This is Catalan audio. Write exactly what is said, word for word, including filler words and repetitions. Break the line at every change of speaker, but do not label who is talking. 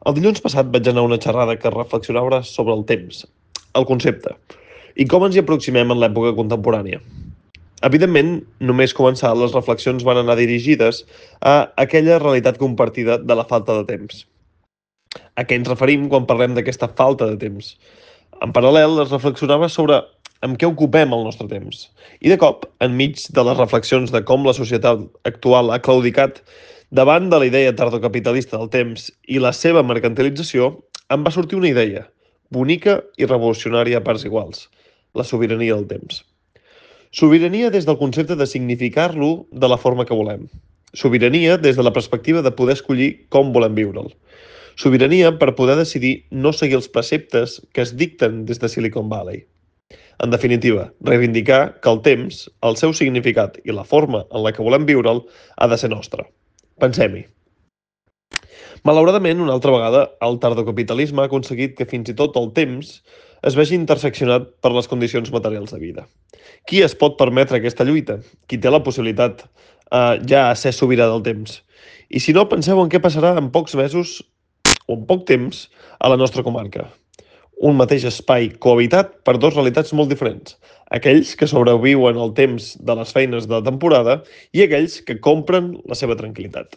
El dilluns passat vaig anar a una xerrada que reflexionava sobre el temps, el concepte, i com ens hi aproximem en l'època contemporània. Evidentment, només començar, les reflexions van anar dirigides a aquella realitat compartida de la falta de temps. A què ens referim quan parlem d'aquesta falta de temps? En paral·lel, es reflexionava sobre amb què ocupem el nostre temps. I de cop, enmig de les reflexions de com la societat actual ha claudicat davant de la idea tardocapitalista del temps i la seva mercantilització, em va sortir una idea, bonica i revolucionària a parts iguals, la sobirania del temps. Sobirania des del concepte de significar-lo de la forma que volem. Sobirania des de la perspectiva de poder escollir com volem viure'l. Sobirania per poder decidir no seguir els preceptes que es dicten des de Silicon Valley. En definitiva, reivindicar que el temps, el seu significat i la forma en la que volem viure'l ha de ser nostre. Pensem-hi. Malauradament, una altra vegada, el tardocapitalisme ha aconseguit que fins i tot el temps es vegi interseccionat per les condicions materials de vida. Qui es pot permetre aquesta lluita? Qui té la possibilitat eh, ja a ser sobirà del temps? I si no, penseu en què passarà en pocs mesos o en poc temps a la nostra comarca. Un mateix espai cohabitat per dues realitats molt diferents. Aquells que sobreviuen el temps de les feines de temporada i aquells que compren la seva tranquil·litat.